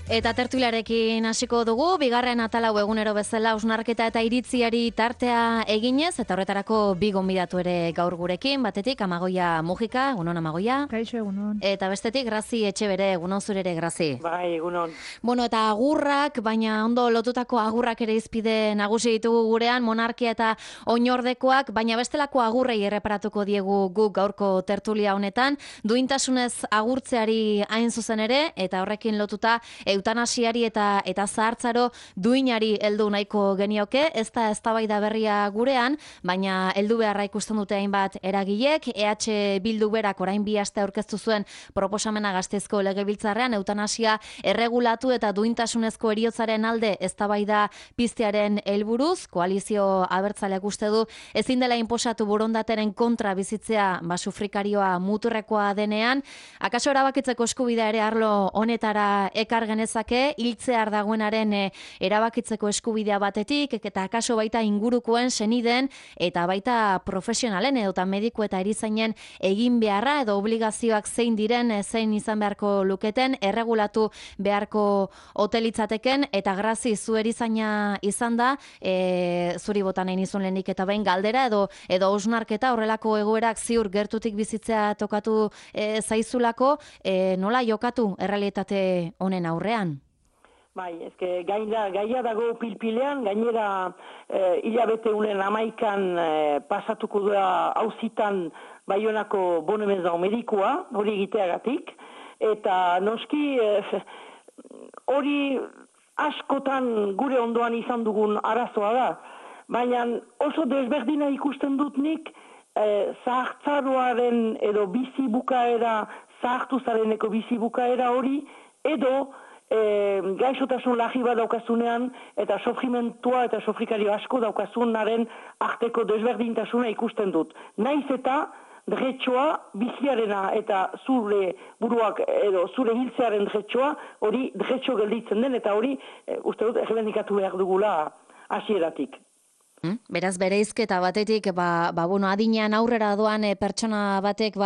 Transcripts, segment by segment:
Eta tertuliarekin hasiko dugu, bigarren atalau egunero bezala hausnarketa eta iritziari tartea eginez, eta horretarako bi gonbidatu ere gaur gurekin, batetik Amagoia Mujika, egunon Amagoia. Kaixo, egunon. Eta bestetik Grazi Etxebere, egunon zure ere Grazi. Bai, egunon. Bueno, eta agurrak, baina ondo lotutako agurrak ere izpide nagusi ditugu gurean, monarkia eta oinordekoak, baina bestelako agurrei erreparatuko diegu guk gaurko tertulia honetan, duintasunez agurtzeari hain zuzen ere, eta horrekin lotuta eutanasiari eta zahartzaro duinari heldu nahiko genioke, ez da eztabaida berria gurean, baina heldu beharra ikusten dute hainbat eragilek, EH Bildu berak orain 2 aste aurkeztu zuen proposamena Gasteizko Legebiltzarrean eutanasia erregulatu eta duintasunezko heriotzaren alde eztabaida piztearen helburuz, koalizio abertzaleak uste du ezin dela inposatu borondateren kontra bizitzea sufrikarioa muturrekoa denean, akaso erabakitzeko eskubidea ere arlo honetara ekar genezake, hiltzear dagoenaren erabakitzeko eskubidea batetik, eta akaso baita ingurukoen seniden eta baita profesionalen edota mediku eta erizainen egin beharra edo obligazioak zein diren, zein izan beharko luketen, erregulatu beharko hotelitzateken, eta Grazi zu erizaina izan da, zuri botan nahi nizun lehenik eta behin galdera edo hausnarketa horrelako egoerak ziur gertutik bizitzea tokatu zaizulako, nola jokatu errealitate honen aurrean? Bai, ezke gaia dago pilpilean, gainera hilabete unen 11 pasatuko da auzitan Baionako bonemezau medikua, hori egiteagatik, eta noski hori askotan gure ondoan izan dugun arazoa da, baina oso desberdina ikusten dut nik zahartzaroaren edo bizi bukaera, zahartu zareneko bizi bukaera hori, edo gaixotasun lagi bat daukazunean eta sofrimentua eta sofrikario asko daukazunaren arteko desberdintasuna ikusten dut. Naiz eta dretxoa biziarena eta zure buruak edo zure hiltzearen dretxoa hori dretxo gelditzen den eta hori uste dut errebendikatu behar dugula hasieratik. Beraz, bereizketa batetik, adinean aurrera doan pertsona batek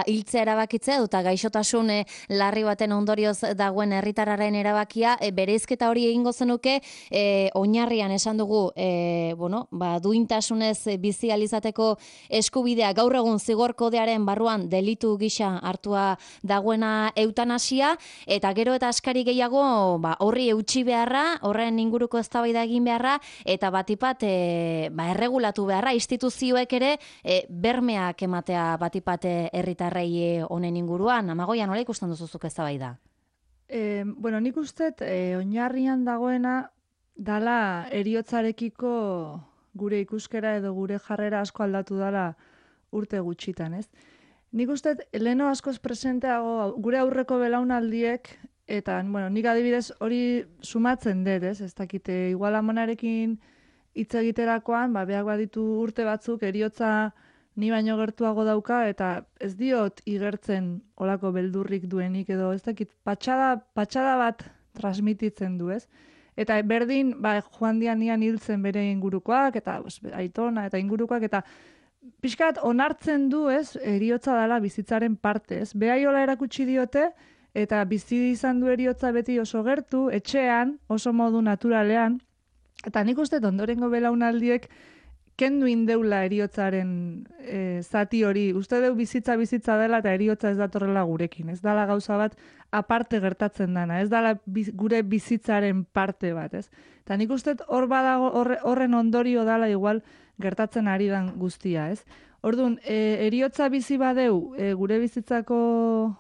hiltzea erabakitzea eta gaixotasun larri baten ondorioz dagoen herritarraren erabakia, bereizketa hori egingo zenuke, oinarrian esan dugu, duintasunez bizi alizateko eskubidea gaur egun zigor kodearen barruan delitu gisa hartua dagoena eutanasia, eta gero eta askari gehiago horri eutsi beharra, horren inguruko eztabaida egin beharra, eta batipat erregulatu beharra, instituzioek ere bermeak ematea batipat herritarrei honen inguruan. Amagoia, nola ikusten duzuzuk eztabaida? Nik uste oinarrian dagoena dala heriotzarekiko gure ikuskera edo gure jarrera asko aldatu dala urte gutxitan, ez? Nik uste leheno askoz presenteago gure aurreko belaunaldiek, eta nik adibidez hori sumatzen dut, ez? Ez dakite, igual amonarekin hitz egiterakoan, behak baditu urte batzuk, heriotza ni baino gertuago dauka, eta ez diot igertzen olako beldurrik duenik, edo ez dakit, patxada bat transmititzen du, ez? Eta berdin, joan dianian hiltzen bere ingurukoak, eta aitona, eta ingurukoak, eta pixkat onartzen du, ez, heriotza dela bizitzaren parte, ez? Behaiola erakutsi diote, eta bizi izan du heriotza beti oso gertu, etxean, oso modu naturalean, eta nik uste ondorengo belaunaldiek kendu indeula heriotzaren zati hori. Uste deu bizitza dela eta heriotza ez datorrela gurekin. Ez dala gauza bat aparte gertatzen dana. Ez dala gure bizitzaren parte bat, ez? Eta nik uste hor badago horren ondorio dala igual gertatzen ari dan guztia, ez? Orduan, heriotza bizi badeu gure bizitzako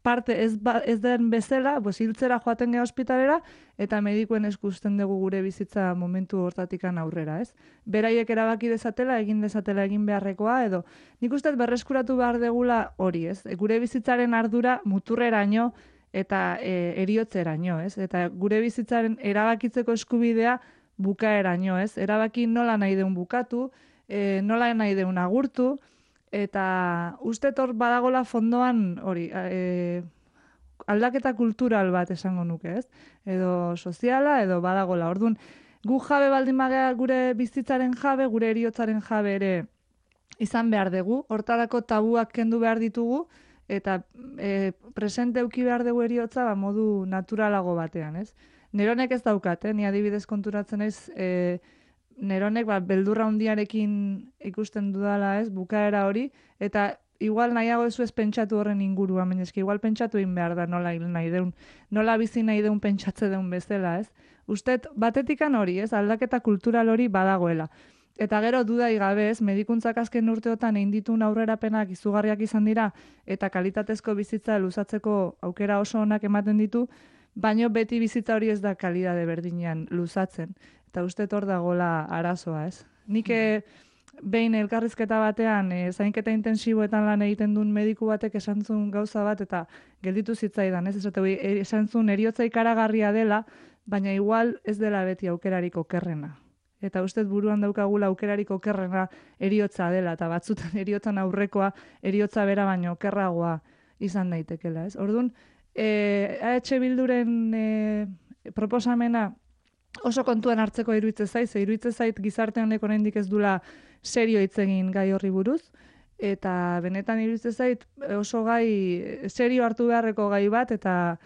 parte ez den bezala, hiltzera joaten geha ospitalera, eta medikuen eskusten dugu gure bizitza momentu hortatikan aurrera, ez? Beraiek erabaki dezatela, egin beharrekoa, edo nik uste berreskuratu behar degula hori, ez? Gure bizitzaren ardura muturreraino eta heriotzeraino, ez? Eta gure bizitzaren erabakitzeko eskubidea bukaeraino, ez? Erabaki nola nahi deun bukatu, nola nahi deun agurtu, eta uste hor badagola fondoan hori, aldaketa kultural bat esango nuke, ez? Edo soziala, edo badagola. Orduan, gu jabe baldin bagea gure bizitzaren jabe, gure heriotzaren jabe ere izan behar dugu. Hortarako tabuak kendu behar ditugu, eta presente euki behar dugu eriotza modu naturalago batean, ez? Neronek ez daukat, ni adibidez konturatzen naiz, neronek beldurra handiarekin ikusten dudala, ez, bukaera hori, eta igual nahiago ez pentsatu horren inguruan, baina eski igual pentsatu egin behar da nola hil nahi deun, nola bizi nahi deun pentsatze deun bezala, ez? Ustet, batetikan hori, ez, aldaketa kultural hori badagoela. Eta gero dudai gabe, ez, medikuntzak azken urteotan egin dituen aurrerapenak izugarriak izan dira, eta kalitatezko bizitza luzatzeko aukera oso onak ematen ditu, baino beti bizitza hori ez da kalidade berdinean luzatzen. Eta uste hor dagoela arazoa, ez? Nik behin elkarrizketa batean, zainketa intensiboetan lan egiten duen mediku batek esan zuen gauza bat, eta gelditu zitzaidan, ez? Esan zuen eriotza ikaragarria dela, baina igual ez dela beti aukerarik okerrena. Eta uste buruan daukagula aukerarik okerrena eriotza dela, eta batzutan eriotzan aurrekoa eriotza bera baino okerragoa izan daitekela, ez? Orduan, AH Bilduren proposamena oso kontuan hartzeko iruditzen zait gizarte honek oraindik ez dula serio hitz egin gai horri buruz, eta benetan iruditzen zait oso gai serio hartu beharreko gai bat, eta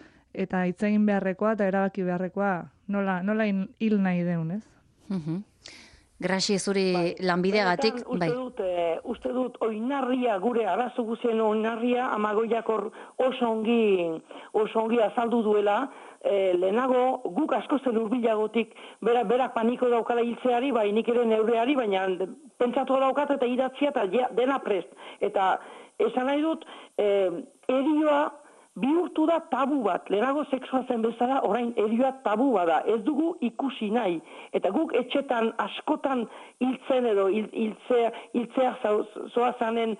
hitz egin beharrekoa eta erabaki beharrekoa nola hil nahi deun, ez? Graxi zuri lanbideagatik, bai. Uste dut oinarria, gure arazo guzien oinarria, Amagoiak oso ongi azaldu duela, lehenago guk asko zen urbilagotik berak paniko daukala hiltzeari, bai nik ere neureari, baina pentsatu daukat eta idatzia eta dena prest. Eta esan nahi dut, erioa bihurtu da tabu bat, lehenago sexua zen bezala, orain erioa tabu bada, ez dugu ikusi nahi. Eta guk etxetan askotan hiltzen edo hiltzea zoazanen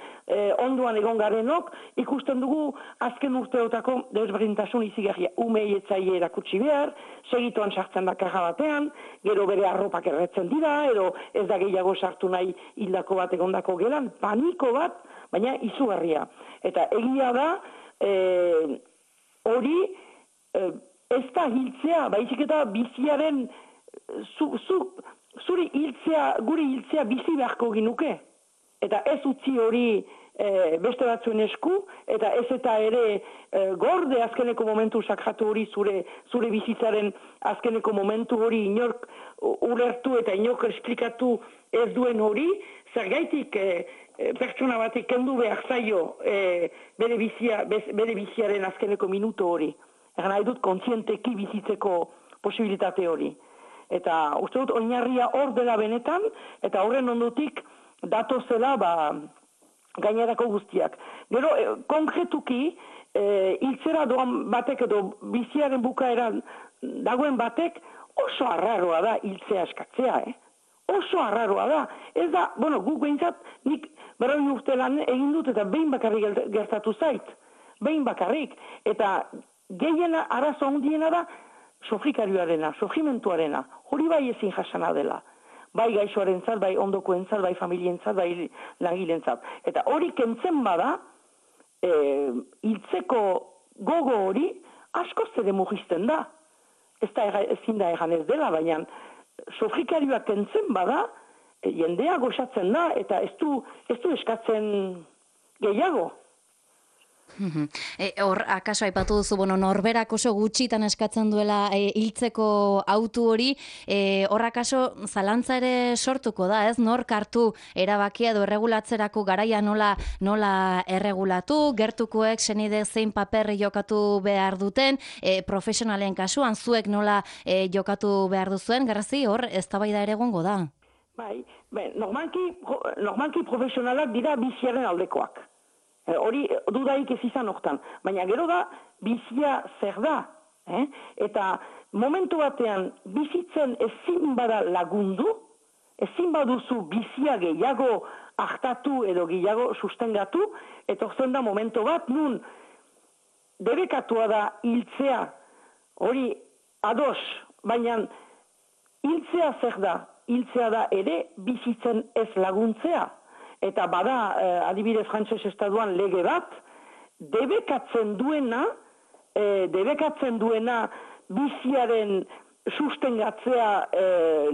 onduan egon garenok, ikusten dugu azken urteotako desberdintasun izigarria. Umei etzaile erakutsi behar, segituan sartzen da kaja batean, gero bere arropak erretzen dira, edo ez da gehiago sartu nahi hildako bat egondako gelan, paniko bat, baina izugarria. Eta egia da, hori ez da hiltzea, baizik eta biziaren guri hiltzea bizi beharko ginuke. Eta ez utzi hori beste batzuen esku, eta ez eta ere gorde azkeneko momentu sakratu hori zure bizitzaren azkeneko momentu hori inork ulertu eta inork esplikatu ez duen hori, zergaitik pertsona batek kendu behar zaio bere biziaren azkeneko minutu hori. Egan nahi dut kontzienteki bizitzeko posibilitate hori. Eta uste dut oinarria hor dela benetan, eta horren ondotik datozela gainerako guztiak. Gero, konkretuki, hiltzera doan batek edo biziaren bukaeran dagoen batek oso arraroa da hiltzea eskatzea, Oso arraroa da. Ez da, guk behintzat, nik berroi urte lan egin dut eta behin bakarrik gertatu zait. Behin bakarrik. Eta gehiena arazo handiena da sofrikarioarena, sofrimentuarena. Hori bai ezin jasana dela. Bai gaixoarentzat, bai ondokoentzat, bai familientzat, bai langilentzat. Eta hori kentzen bada, hiltzeko gogo hori askoz ere mugisten da. Ezin da egan ez dela, baina sofrikarioak kentzen bada, jendea goxatzen da, eta ez du eskatzen gehiago. Hor, akaso aipatu duzu, norberak oso gutxitan eskatzen duela hiltzeko autu hori, hor akaso zalantza ere sortuko da, ez? Nork hartu erabakia edo erregulatzerako garaia nola erregulatu, gertukoek senide zein paper jokatu behar duten, profesionalen kasuan zuek nola jokatu behar duzuen, Garrazi, hor eztabaida ere egongo da. Bai, normalki profesionalak dira biziaren aldekoak. Hori dudaik ez izan hortan. Baina gero da, bizia zer da. Eta momentu batean bizitzen ezin bada lagundu, ezin baduzu bizia gehiago hartatu edo gehiago sustengatu, eta horzen da momentu bat nun debekatua da hiltzea, hori ados, baina hiltzea zer da? Hiltzea da ere bizitzen ez laguntzea. Eta bada, adibidez frantses estatuan lege bat, debekatzen duena biziaren sustengatzea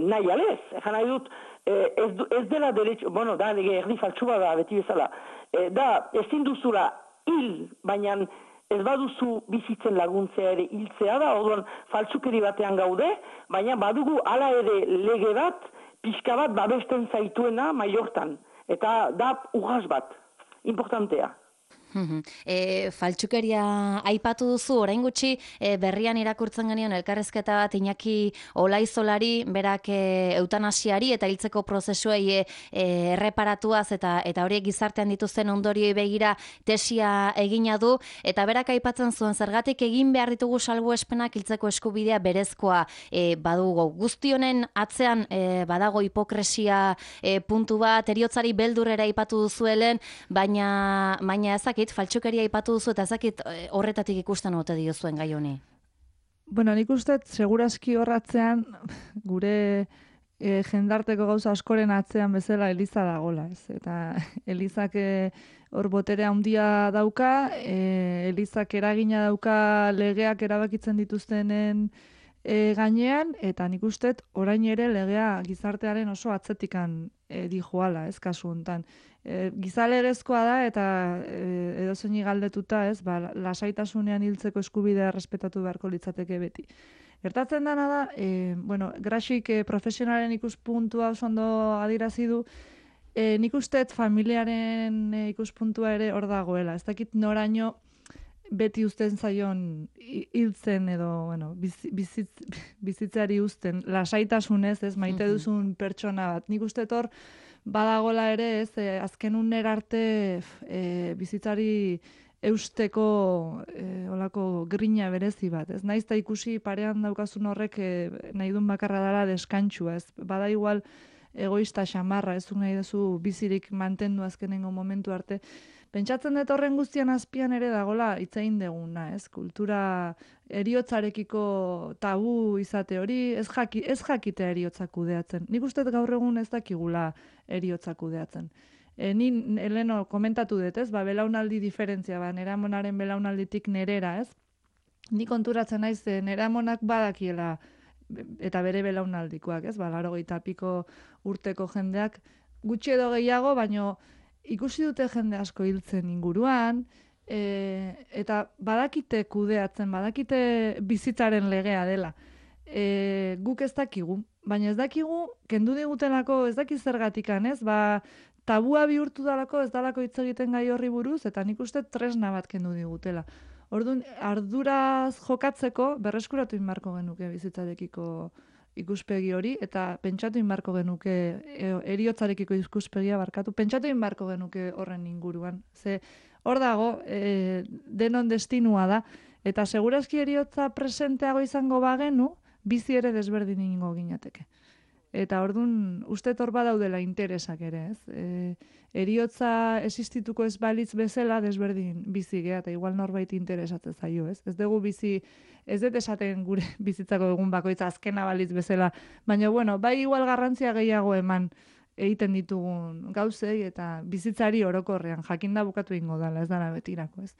nahi alez. Egan nahi dut, ez dela derecho, da lege erdi faltsua da, beti bezala, da ezin duzula hil, baina ez baduzu bizitzen laguntzea ere hiltzea da, orduan faltsukeri batean gaude, baina badugu hala ere lege bat, pixka bat babesten zaituena maiortan. Eta da urras bat, importantea. Faltsukeria aipatu duzu, orain gutxi berrian irakurtzen genion elkarrezketa bat Iñaki Olaizolari, berak eutanasiari eta hiltzeko prozesuei erreparatuaz eta horiek gizartean dituzten ondorioi begira tesia egina du, eta berak aipatzen zuen zergatik egin behar ditugu salbuespenak hiltzeko eskubidea berezkoa badugu. Guzti honen atzean badago hipokresia puntu bat, heriotzari beldurrera aipatu duzuelen, baina ezakit, faltsukeria aipatu duzu eta ezakit horretatik ikusten ote diozuen gai honi. Bueno, nik uste, segurazki horratzean, gure jendarteko gauza askoren atzean bezala Eliza dagola, ez? Eta Elizak hor boterea handia dauka, Elizak eragina dauka legeak erabakitzen dituztenen gainean, eta nik uste, orain ere legea gizartearen oso atzetikan dijoala, ez kasu hontan. Gizalegezkoa da eta edozeini galdetuta, ez, lasaitasunean hiltzeko eskubidea errespetatu beharko litzateke beti. Gertatzen dana da, Graxik profesionalen ikuspuntua oso ondo adirazi du, nik usteet familiaren ikuspuntua ere hor dagoela. Ez dakit noraino beti uzten zaion hiltzen edo bizitzeari uzten, lasaitasunez, ez, maite duzun pertsona bat. Nik usteet hor badagola ere, ez, azken uner arte bizitzari eusteko olako grina berezi bat, ez? Naiz eta ikusi parean daukazun horrek nahi duen bakarra dela deskantsua, ez? Bada igual egoista xamarra, ez nahi duzu bizirik mantendu azkenengo momentu arte. Pentsatzen dut horren guztian azpian ere dagola hitz egin deguna, ez? Kultura eriotzarekiko tabu izate hori, ez jakitea eriotza kudeatzen. Nik uste gaur egun ez dakigula eriotza kudeatzen. Ni Eleno komentatu dut, ez? Belaunaldi diferentzia, neramonaren belaunalditik nerera, ez? Ni konturatzen naiz neramonak badakiela eta bere belaunaldikoak, ez? 80 piko urteko jendeak gutxi edo gehiago, baino ikusi dute jende asko hiltzen inguruan, eta badakite kudeatzen, badakite bizitzaren legea dela. Guk ez dakigu, baina ez dakigu, kendu digutelako, ez dakiz zergatikan, ez? Tabua bihurtu dalako, ez dalako hitz egiten gai horri buruz, eta nik uste tresna bat kendu digutela. Orduan, arduraz jokatzeko berreskuratu inbarko genuke bizitzarekiko ikuspegi hori, eta pentsatu inbarko genuke eriotzarekiko ikuspegia barkatu, pentsatu inbarko genuke horren inguruan. Ze hor dago, denon destinua da, eta segurazki eriotza presenteago izango bagenu, bizi ere desberdin ingo ginateke. Eta orduan, uste hor badaudela interesak ere, ez? Eriotza existituko ez balitz bezala desberdin bizi gea, eta igual norbait interesatzen zaio, ez? Ez dugu bizi, ez dut esaten gure bizitzako egun bakoitza azkena balitz bezala, baina, bai igual garrantzia gehiago eman egiten ditugun gauzei, eta bizitzari orokorrean, jakinda bukatu ingo dela, ez dara betirako, ez?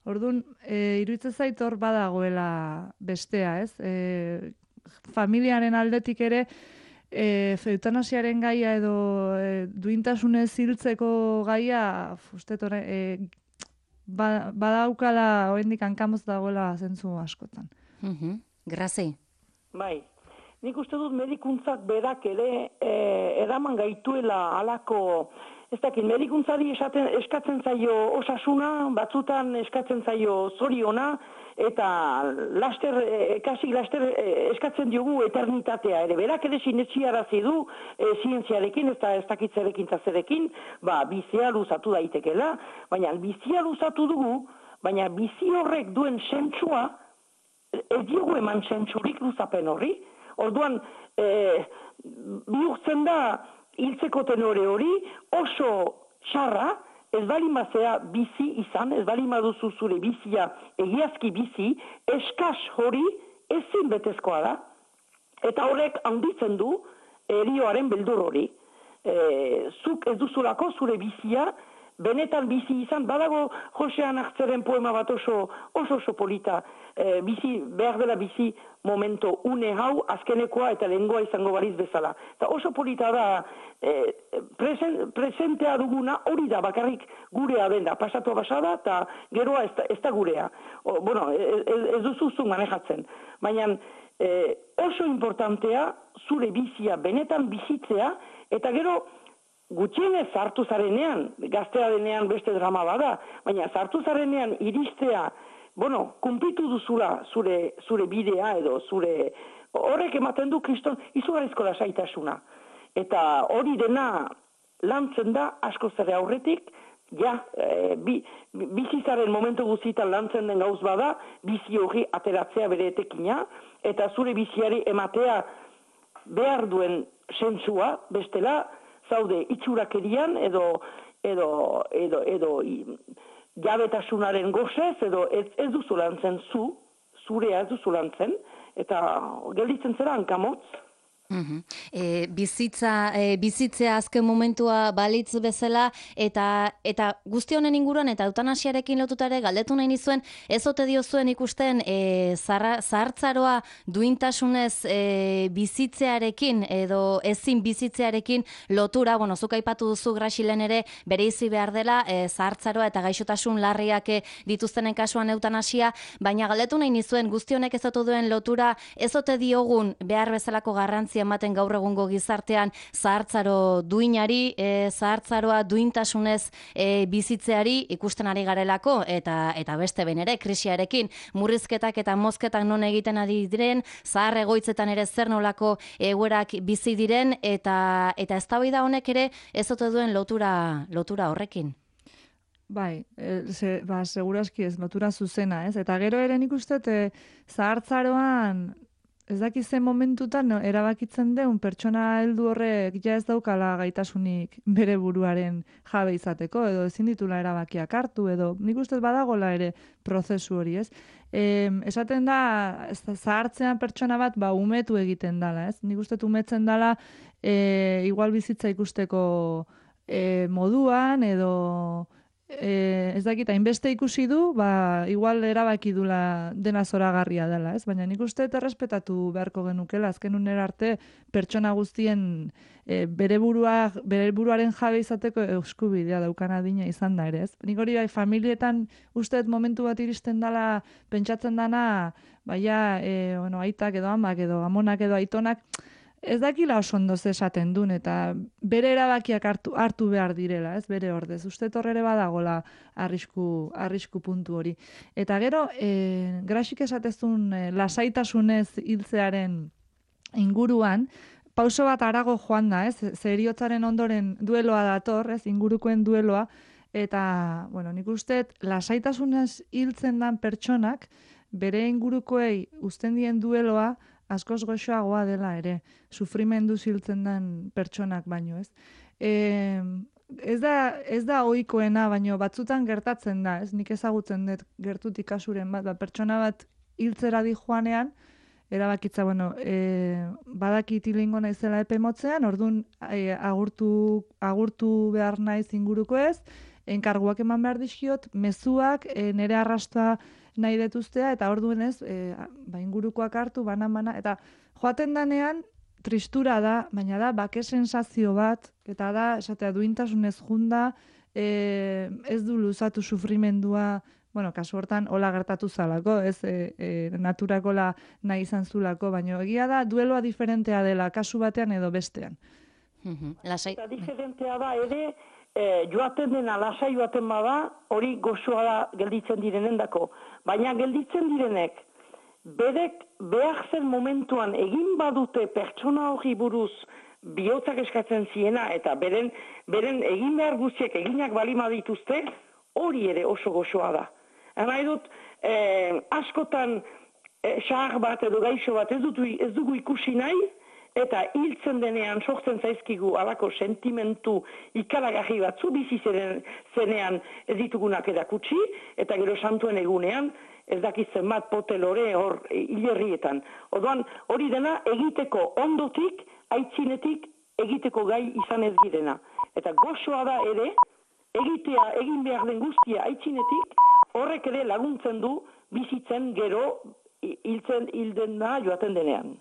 Orduan, iruditzen zait hor badagoela bestea, ez? Familiaren aldetik ere, eutanasiaren gaia edo duintasunez hiltzeko gaia, badaukala oraindik hankamotz dagoela zentzu askotan. Grazi. Bai, nik uste dut medikuntzak berak ere eraman gaituela halako, ez dakit, medikuntzari eskatzen zaio osasuna, batzutan eskatzen zaio zoriona, eta laster eskatzen diogu eternitatea ere. Berak ere sinetxiarazi du zientziarekin, ez dakitzerekin eta zerekin, bizia luzatu daitekela, baina bizia luzatu dugu, baina bizi horrek duen sentsua, ez diogu eman sentsurik luzapen horri. Orduan, bihurtzen da hiltzeko tenore hori oso txarra, ez balimazea bizi izan, ez balimaduzu zure bizia, egiazki bizi, eskas hori ezin betezkoa da. Eta horrek handitzen du erioaren beldur hori. Zuk ez duzulako zure bizia benetan bizi izan, badago Josean Hartzeren poema bat oso polita, behar dela bizi momento une hau, azkenekoa eta lehengoa izango baliz bezala. Eta oso polita da, presentea duguna hori da, bakarrik gurea dena, pasatua basada, eta geroa ez da gurea. Ez duzuzun manejatzen. Baina oso importantea zure bizia benetan bizitzea, eta gero gutxienez sartu zarenean, gaztea denean beste drama bada, baina sartu zarenean iristea, kumplitu duzula zure bidea edo horrek ematen du kriston izugarrizko lasaitasuna. Eta hori dena lantzen da asko zere aurretik, bizitzaren momentu guztietan lantzen den gauz bada, bizi hori ateratzea bere etekina, eta zure biziari ematea behar duen sentsua, bestela, zaude itxurakerian edo jabetasunaren gozez, edo ez duzu lantzen zurea ez duzu lantzen, eta gelditzen zera hankamotz. Bizitzea azken momentua balitz bezala eta guzti honen inguruan eta eutanasiarekin lotuta ere galdetu nahi nizuen, ez ote diozuen ikusten zahartzaroa duintasunez bizitzearekin edo ezin bizitzearekin lotura, zuk aipatu duzu Grasilen ere bereizi behar dela zahartzaroa eta gaixotasun larriak dituztenen kasuan eutanasia, baina galdetu nahi nizuen guzti honek ez ote duen lotura, ez ote diogun behar bezalako garrantzia ematen gaur egungo gizartean zahartzaro duinari, zahartzaroa duintasunez bizitzeari ikusten ari garelako eta beste behin ere krisiarekin murrizketak eta mozketak non egiten ari diren, zahar egoitzetan ere zer nolako egoerak bizi diren eta eztabaida honek ere ez ote duen lotura horrekin. Bai, segurazki ez, lotura zuzena, ez? Eta gero ere nik uste zahartzaroan ez dakiz zen momentutan erabakitzen deun pertsona heldu horrek ja ez daukala gaitasunik bere buruaren jabe izateko, edo ezin ditula erabakiak hartu, edo nik uste badagola ere prozesu hori, ez? Esaten da, zahartzean pertsona bat umetu egiten dala, ez? Nik uste umetzen dala igual bizitza ikusteko moduan, edo ez dakit, hainbeste ikusi du, igual erabaki dula dena zoragarria dela, ez? Baina nik uste errespetatu beharko genukela, azken unera arte pertsona guztien bere buruaren jabe izateko eskubidea daukan adina izan da ere, ez? Nik hori familietan usteet momentu bat iristen dela pentsatzen dana, aitak edo amak edo amonak edo aitonak, ez dakila oso ondo esaten duen, eta bere erabakiak hartu behar direla, ez bere ordez. Uste torrere badagola arrisku puntu hori. Eta gero, Grasik esatezun lasaitasunez hiltzearen inguruan, pauso bat arago joan da, ez? Heriotzaren ondoren dueloa dator, ez? Ingurukoen dueloa, eta, nik uste, lasaitasunez hiltzen dan pertsonak, bere ingurukoei uzten dien dueloa, askoz goxoagoa dela ere, sufrimendu hiltzen den pertsonak baino, ez? Ez da ohikoena, baino batzutan gertatzen da, ez? Nik ezagutzen dut gertutik kasuren bat, pertsona bat hiltzera di joanean, erabakitza, badakit hilingo naizela epe motzean, orduan agurtu behar naiz inguruko ez, enkarguak eman behar dizkiot, mezuak, nire arrastoa nahi detuztea, eta orduan ez, ingurukoak hartu, bana, eta joaten danean, tristura da, baina da, bake sensazio bat, eta da, esatea, duintasunez junda, ez du luzatu sufrimendua, kasu hortan, hola gertatu zalako, ez naturakola nahi izan zulako, baina egia da, dueloa diferentea dela, kasu batean edo bestean. Eta diferentea da, ere, joaten dena, lasai joaten bada, hori gozoa da gelditzen direnendako. Baina gelditzen direnek, berek behar zen momentuan egin badute pertsona hori buruz bihotzak eskatzen ziena, eta beren egin behar guztiek eginak balima dituzte, hori ere oso gozoa da. Nahi dut, askotan xahar bat edo gaixo bat ez dugu ikusi nahi, eta hiltzen denean sortzen zaizkigu alako sentimentu ikaragarri batzu bizi zenean ez ditugunak erakutsi, eta gero santuen egunean ez dakitzen bat potelore hor hilerrietan. Orduan hori dena egiteko ondotik, aitzinetik egiteko gai izan ez girena. Eta gozoa da ere, egin behar den guztia aitzinetik, horrek ere laguntzen du bizitzen gero hilden da joaten denean.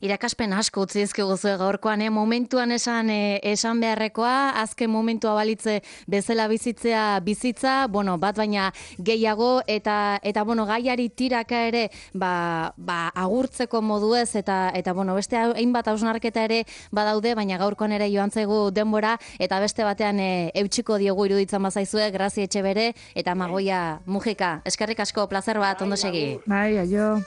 Irakaspen asko utzi dizkiguzue gaurkoan, momentuan esan beharrekoa, azken momentua balitze bezala bizitza, bat baina gehiago, eta gaiari tiraka ere, agurtzeko moduez, eta beste hainbat hausnarketa ere badaude, baina gaurkoan ere joan zaigu denbora, eta beste batean eutxiko diogu iruditzen bazaizue, Grazi Etxebere, eta Magoia Mujika. Eskerrik asko, plazer bat, ondo segi. Bai, aio.